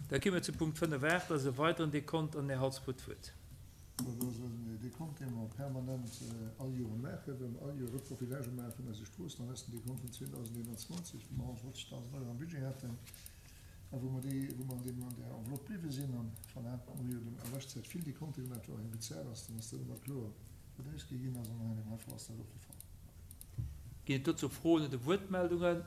Da gi mer zu Punkt 5, 8, dat ass e weideren Dekont an den Här Halsbach huet d'Wuert. Dat ass en Dekont, dee mer permanent all Joer maachen, well mer all Joer Reprofilagë maache vun eise Stroossen. An dat ass den Dekont vun 2021, wou mer 150.000 Euro am Budget haten a wou mer déi, wou mer an deem, an där Enveloppe bliwwe sinn. An voilà, mer hu jo a leschter Zäit vill Dekonte gemaach, wou och eng bezaalt ass, dann ass dat ëmmer kloer, wat ausgi ginn ass. An an deem hei Fall ass dat och de Fall. Ginn et dozou Froen oder Wuertmeldungen?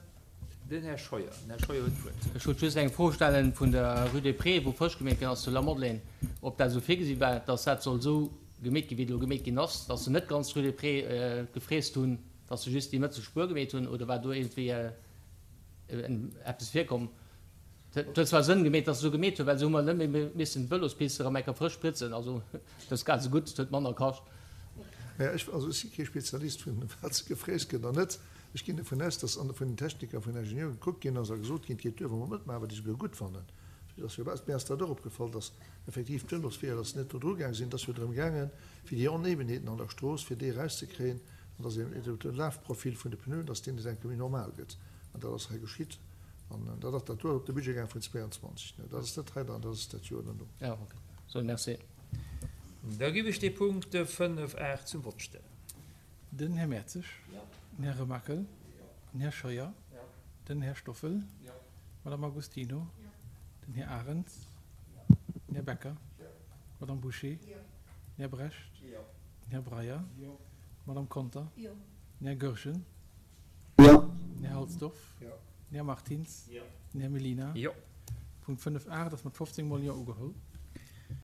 Den Här Scheuer. Den Här Scheuer huet d'Wuert. Ech wollt just eng Fro stellen vun der Rue des Prés, wou frësch gemeet ginn ass zu Lamadelaine, ob dat esou virgesi war, dass dat soll esou gemeet ginn, wéi et elo gemeet ginn ass, dass se net ganz d'Rue des Prés gefräst hunn, dass se just déi mëtzel Spuer gemeet hunn, oder war do iergendwéi eppes virkomm? Et huet zwar Sënn gemeet, dass se esou gemeet hunn, well esou hu mer net méi missen d'Vëlospiste erëm eng Kéier frësch spritzen. Also dat ass grad esou gutt, et huet manner kascht. Naja, ech, also ech si kee Spezialist vun wat se gefräst gëtt an net. Ech ginn dovun aus, dass an vun den Techniker, vun den Ingenieuren gekuckt ginn ass a gesot ginn, et geet duer, wa mer matmaachen, wat ech esouguer gutt fannen. Et ass jo, mir ass dat och opgefall, dass effektiv d'Vëlosweeër, dass se net do dru gaang sinn. Et ass jo drëm gaangen, fir déi Onebenheeten an der Strooss, fir déi erauszekréien an dass een de Lafprofil vun de Pneuen, dass deen net enke méi normal gëtt. An dat ass hei geschitt. An dat ass dat do ass op de Budget gaang vun 22. Dat ass net hei dran, dat ass dat Joer derno. Jo, ok. Sou, merci. Da giff ech dee Punkt 5, 8 zum Vott stellen. Den Här Mertzig. Den Här Remakel. Den Här Scheuer. Den Här Stoffel. D'Madame Agostino. Den Här Arens. Den Här Becker. D'Madame Bouché. Den Här Brecht. Den Här Breyer. D'Madame Conter. Den Här Goergen. Den Här Halsdorf. Den Här Martins. Den Här Mellina. Punkt 5 8 ass mat 15 mol Jo ugeholl.